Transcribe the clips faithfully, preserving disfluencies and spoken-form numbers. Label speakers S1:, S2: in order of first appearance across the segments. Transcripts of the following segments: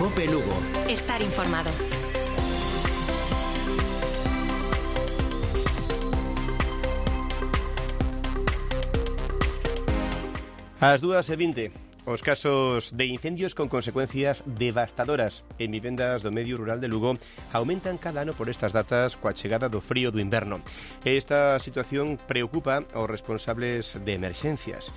S1: Cope Lugo.
S2: Estar informado.
S3: Ás dúas e vinte, os casos de incendios con consecuencias devastadoras en vivendas do medio rural de Lugo aumentan cada ano por estas datas coa chegada do frío do inverno. Esta situación preocupa aos responsables de emerxencias.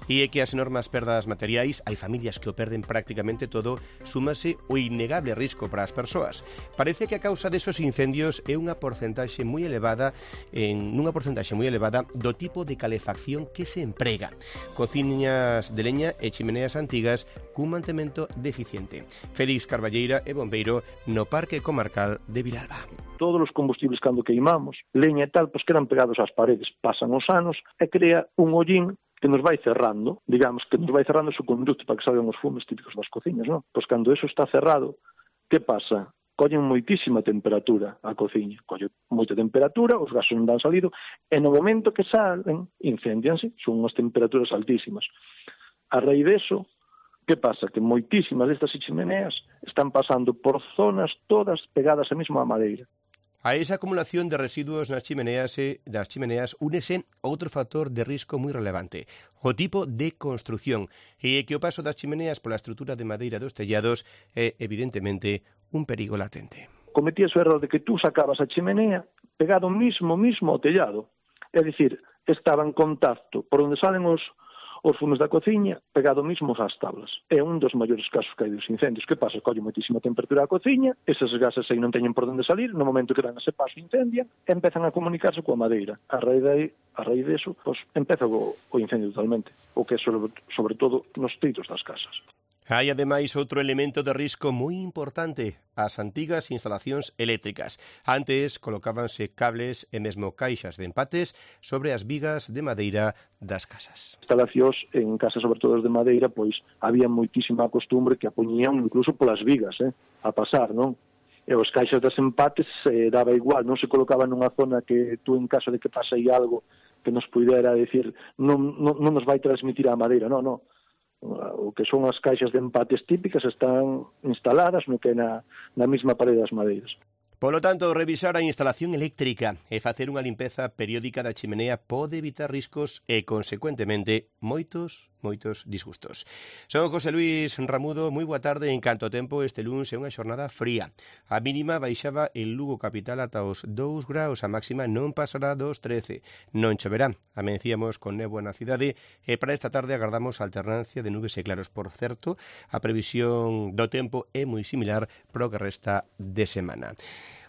S3: E é que as enormes perdas materiais, hai familias que o perden prácticamente todo, súmase o innegable risco para as persoas. Parece que a causa desos incendios é unha porcentaxe moi elevada en unha porcentaxe moi elevada do tipo de calefacción que se emprega. Cociñas de leña e chimeneas antigas cun mantemento deficiente. Félix Carballeira é bombeiro no Parque Comarcal de Vilalba.
S4: Todos os combustibles cando queimamos, leña e tal, pois quedan pegados ás paredes, pasan os anos e crea un hollín que nos vai cerrando, digamos, que nos vai cerrando o seu conducto para que salgan os fumes típicos das cociñas, non? Pois cando eso está cerrado, que pasa? Collen moitísima temperatura a cociña, colle moita temperatura, os gases non dan salido, e no momento que salen, incendianse, son unhas temperaturas altísimas. A raíz deso, que pasa? Que moitísimas destas chimeneas están pasando por zonas todas pegadas a mesma madeira.
S3: A esa acumulación de residuos nas chimeneas e das chimeneas únese outro factor de risco moi relevante, o tipo de construción, e que o paso das chimeneas pola estrutura de madeira dos tellados é, evidentemente, un perigo latente.
S4: Cometías o erro de que tú sacabas a chimenea pegado mismo, mismo ao tellado, é dicir, estaba en contacto por onde salen os os fumes da cociña pegado mismo ás tablas. É un dos maiores casos que hai dos incendios. Que pasa? Colle moitísima temperatura a cociña, eses gases aí non teñen por onde salir, no momento que dan ese paso incendian, e empezan a comunicarse coa madeira. A raíz de aí, a raíz deso, pois, empeza o, o incendio totalmente, o que é sobre, sobre todo nos teitos das casas.
S3: Hai, ademais, outro elemento de risco moi importante, as antigas instalacións eléctricas. Antes colocábanse cables e mesmo caixas de empates sobre as vigas de madeira das casas.
S4: Instalacións en casas, sobre todo de madeira, pois había moitísima costumbre que a poñían incluso polas vigas, eh, a pasar, non? E os caixas das empates eh, daba igual, non se colocaba nunha zona que tú, en caso de que pase aí algo que nos pudera decir, non, non, non nos vai transmitir a madeira, non, non. O que son as caixas de empates típicas están instaladas no que é na, na mesma parede das madeiras.
S3: Polo tanto, revisar a instalación eléctrica e facer unha limpeza periódica da chimenea pode evitar riscos e, consecuentemente, moitos, moitos disgustos. Son José Luis Ramudo, moi boa tarde. En canto tempo, este luns é unha xornada fría. A mínima baixaba en Lugo capital ata os dous graus, a máxima non pasará dos trece. Non choverá. Amencíamos con néboa na cidade e para esta tarde agardamos alternancia de nubes e claros. Por certo, a previsión do tempo é moi similar pro que resta de semana.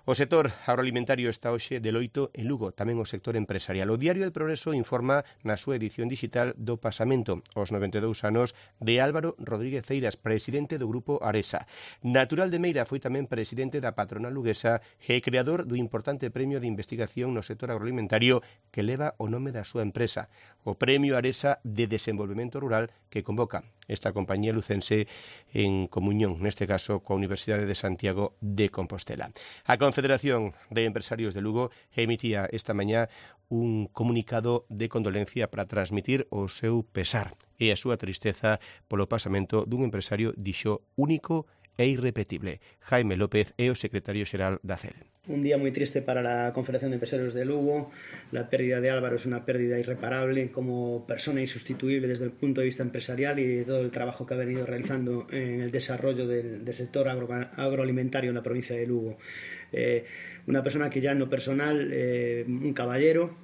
S3: O sector agroalimentario está hoxe de loito en Lugo, tamén o sector empresarial. O Diario del Progreso informa na súa edición digital do pasamento aos noventa e dous anos de Álvaro Rodríguez Ceiras, presidente do Grupo Aresa. Natural de Meira, foi tamén presidente da patronal luguesa e creador do importante premio de investigación no sector agroalimentario que leva o nome da súa empresa, o Premio Aresa de Desenvolvemento Rural, que convoca esta compañía lucense en comunión, neste caso, coa Universidade de Santiago de Compostela. A Confederación de Empresarios de Lugo emitía esta mañá un comunicado de condolencia para transmitir o seu pesar e a súa tristeza polo pasamento dun empresario, dixo, único e irrepetible. Jaime López é o secretario xeral da C E L.
S5: Un día muy triste para la Confederación de Empresarios de Lugo. La pérdida de Álvaro es una pérdida irreparable como persona insustituible desde el punto de vista empresarial y de todo el trabajo que ha venido realizando en el desarrollo del, del sector agro, agroalimentario en la provincia de Lugo. Eh, una persona que ya en lo personal, eh, un caballero,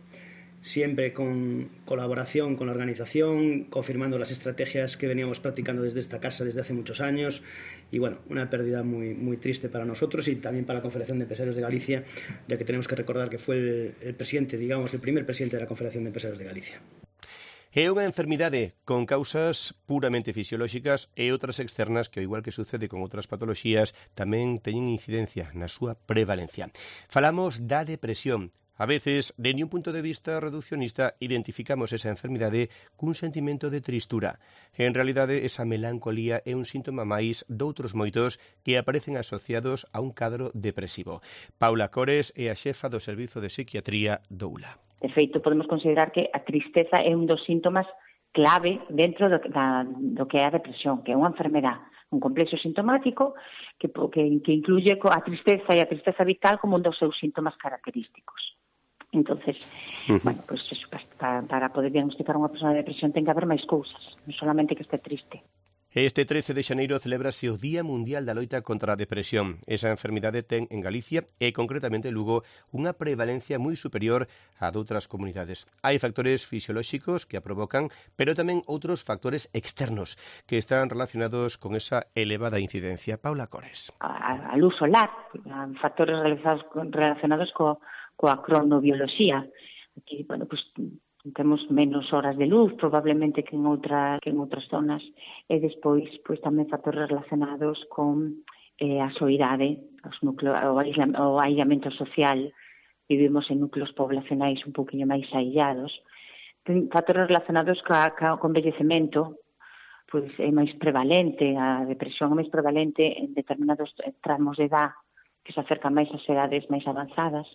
S5: siempre con colaboración con la organización, confirmando las estrategias que veníamos practicando desde esta casa desde hace muchos años. Y bueno, una pérdida muy, muy triste para nosotros y también para la Confederación de Empresarios de Galicia, ya que tenemos que recordar que fue el, el presidente, digamos, el primer presidente de la Confederación de Empresarios de Galicia.
S3: É unha enfermidade con causas puramente fisiolóxicas e outras externas que, ao igual que sucede con outras patoloxías, tamén teñen incidencia na súa prevalencia. Falamos da depresión. A veces, dende un punto de vista reduccionista, identificamos esa enfermidade cun sentimento de tristura. En realidade, esa melancolía é un síntoma máis doutros moitos que aparecen asociados a un cadro depresivo. Paula Cores é a xefa do Servizo de Psiquiatría do U L A.
S6: De feito, podemos considerar que a tristeza é un dos síntomas clave dentro do, da, do que é a depresión, que é unha enfermedade, un complexo sintomático que, que, que incluye a tristeza e a tristeza vital como un dos seus síntomas característicos. Entonces, uh-huh. bueno, pues eso, para, para poder diagnosticar unha persona de depresión ten que haber máis cousas, non solamente que este triste.
S3: Este trece de xaneiro celébrase o Día Mundial da Loita contra a Depresión. Esa enfermidade ten en Galicia e concretamente en Lugo unha prevalencia moi superior a doutras comunidades. Hai factores fisiolóxicos que a provocan, pero tamén outros factores externos que están relacionados con esa elevada incidencia. Paula Cores.
S6: A, a luz solar, factores relacionados, relacionados co, coa cronobioloxía. Aquí, bueno, pues temos menos horas de luz, probablemente que en outra que en outras zonas, e despois pois tamén factores relacionados con eh, a soidade, os núcleos, o, aisla, o aillamento social. Vivimos en núcleos poblacionais un poquinho máis aillados. Factores relacionados ca, ca, con envellecemento, pois é máis prevalente, a depresión é máis prevalente en determinados tramos de edad que se acercan máis ás edades máis avanzadas.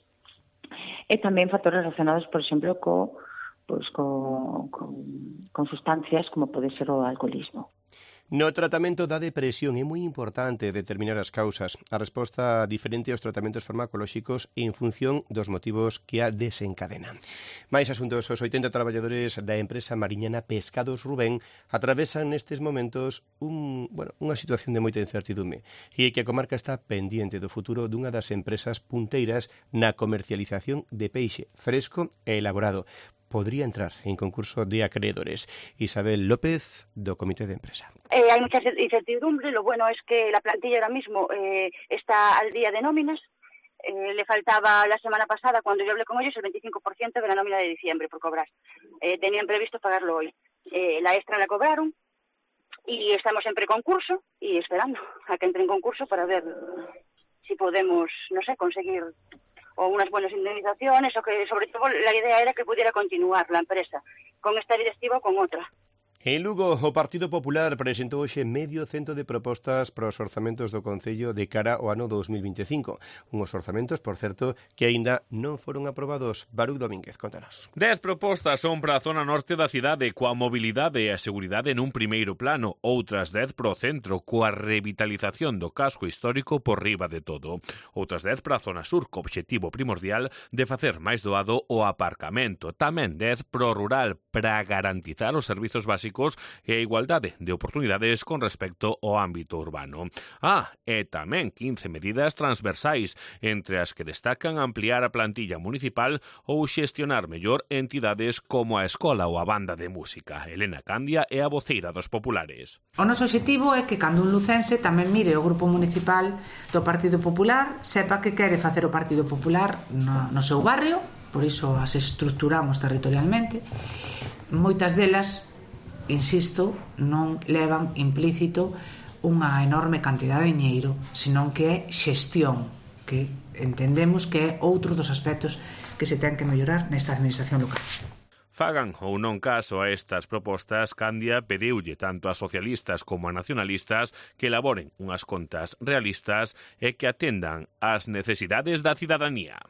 S6: E tamén factores relacionados, por exemplo, co pois con, con, con sustancias como pode ser o alcoholismo.
S3: No tratamento da depresión é moi importante determinar as causas, a resposta diferente aos tratamentos farmacolóxicos en función dos motivos que a desencadenan. Mais asuntos, os oitenta traballadores da empresa mariñana Pescados Rubén atravesan nestes momentos un, bueno, unha situación de moita incertidume e que a comarca está pendiente do futuro dunha das empresas punteiras na comercialización de peixe fresco e elaborado. Podría entrar en concurso de acreedores. Isabel López, do Comité de Empresa.
S1: Eh, hay mucha incertidumbre. Lo bueno es que la plantilla ahora mismo eh, está al día de nóminas. Eh, le faltaba la semana pasada, cuando yo hablé con ellos, el veinticinco por ciento de la nómina de diciembre por cobrar. Eh, tenían previsto pagarlo hoy. Eh, la extra la cobraron y estamos en preconcurso y esperando a que entre en concurso para ver si podemos, no sé, conseguir o unas buenas indemnizaciones, o que sobre todo la idea era que pudiera continuar la empresa con esta directiva o con otra.
S3: En Lugo, o Partido Popular presentou hoxe medio cento de propostas para os orzamentos do Concello de cara ao ano dos mil vinte e cinco. Unhos orzamentos, por certo, que aínda non foron aprobados. Baruch Domínguez, contanos.
S2: Dez propostas son para a zona norte da cidade, coa mobilidade e a seguridade nun primeiro plano. Outras dez para o centro, coa revitalización do casco histórico por riba de todo. Outras dez para a zona sur, co obxectivo primordial de facer máis doado o aparcamento. Tamén dez para o rural, para garantizar os servizos básicos e a igualdade de oportunidades con respecto ao ámbito urbano. Ah, e tamén quince medidas transversais, entre as que destacan ampliar a plantilla municipal ou xestionar mellor entidades como a escola ou a banda de música. Elena Candia é a voceira dos populares.
S7: O noso objetivo é que cando un lucense tamén mire o grupo municipal do Partido Popular, sepa que quere facer o Partido Popular no, no seu barrio, por iso as estructuramos territorialmente. Moitas delas, insisto, non levan implícito unha enorme cantidade de diñeiro, senón que é xestión, que entendemos que é outro dos aspectos que se ten que mellorar nesta administración local.
S2: Fagan ou non caso a estas propostas, Candia pediulle tanto a socialistas como a nacionalistas que elaboren unhas contas realistas e que atendan ás necesidades da cidadanía.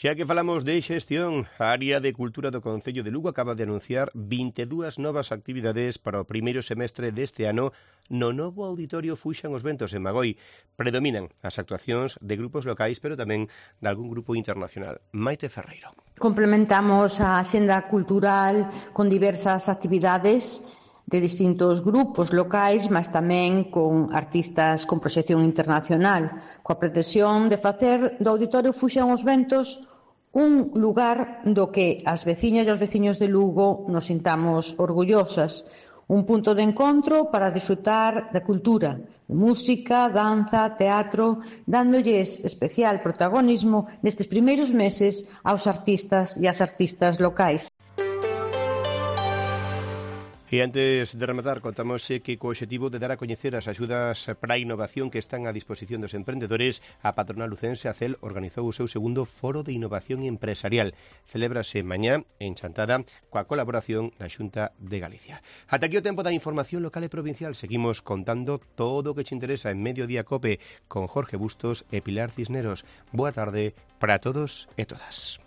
S3: Xa que falamos de xestión, a área de Cultura do Concello de Lugo acaba de anunciar vinte e dúas novas actividades para o primeiro semestre deste ano no novo auditorio Fuxan os Ventos en Magoi. Predominan as actuacións de grupos locais, pero tamén de algún grupo internacional. Maite Ferreiro.
S8: Complementamos a axenda cultural con diversas actividades de distintos grupos locais, mas tamén con artistas con proxección internacional, coa pretensión de facer do auditorio Fuxan os Ventos un lugar do que as veciñas e os veciños de Lugo nos sintamos orgullosas, un punto de encontro para disfrutar da cultura, de música, danza, teatro, dándolles especial protagonismo nestes primeiros meses aos artistas e ás artistas locais.
S3: E antes de rematar, contamos que co obxectivo de dar a coñecer as axudas para a innovación que están a disposición dos emprendedores, a patronal lucense Acel organizou o seu segundo Foro de Innovación Empresarial. Celébrase mañá en Chantada coa colaboración da Xunta de Galicia. Ata aquí o tempo da información local e provincial. Seguimos contando todo o que te interesa en Mediodía Cope con Jorge Bustos e Pilar Cisneros. Boa tarde para todos e todas.